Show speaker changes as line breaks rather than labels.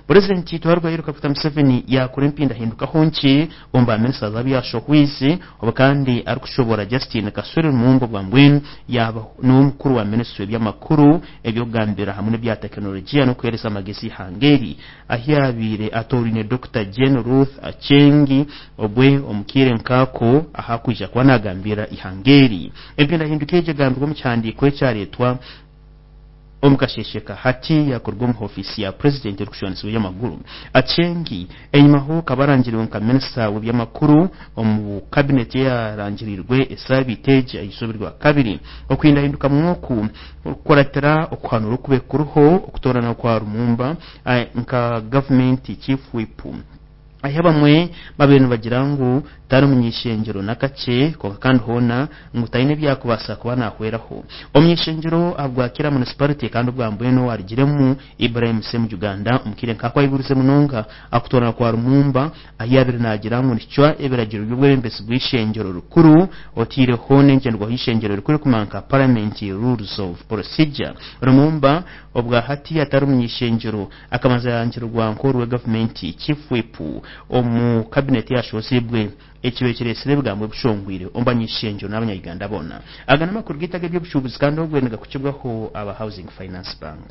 Purezidenti Twarugayiru Kaguta Museveni yakora empindahindukaho nkye omu baminisita abu yashohwize, obu kandi arikushobora Justine Kasule Lumumba obwambwenu yaaba niwe mukuru wa minisitule eby'amakuru, eby'okugambira hamwe n'ebya tekinologiya n'okuheereza amagezi eihanga eri, ahu yaabaire atooraine Dokita Jane Ruth Aceng obwe omu kaire nk'ako ahakwija kuba naagambira eihanga eri. Empindahinduka egi egambirwe omu kihandiiko ekyareetwa omu kasheeshe ka hati yakorwa omu ofiisi ya purezidenti erikushwanisibwa eby'amaguru. Aceng enyimaho akaba arangiriwe nka minisita w'eby'amakuru omu kabineti eyarangirirwe esaabiiti egi aha izooba rwakabiri. Okuhindahindukamu oku kukuratira okuhanura okube kuriho okutoorana kwa Lumumba nka gavumenti chief whip, ahi abamwe babaire nibagira ngu tari muny'ishengyero n'akakye, kwonka kandi hoona ngu taine ebyakubaasa kuba naahweraho. Omuny'ishengyero ahabwa Kira Municipality kandi obwambwenu owarugiremu, Ibrahim Ssemujju Nganda, omu kaire nk'ako ayigurize munonga akutoorana kwa Lumumba, ahi yaabaire naagira ngu nikicwa ebiragiro by'obwebembezi bw'ishengyero rikuru, otaireho n'engyenderwaho y'ishengyero rikuru erikumanywa nka Parliament Rules of Procedure. Lumumba obwa hati atari muny'ishengyero akabanza yarangirirwa nk'oruwe gavumenti chief whip omu kabineti eyashozibwe, ekibaire kireetsire ebigambo ebishongwire omu bany'ishengyero n'abanya-Uganda boona. Aga n'amakuru gaitu ag'eby'obushuubuzi kandi obwe nigakukibwaho aba Housing Finance Bank.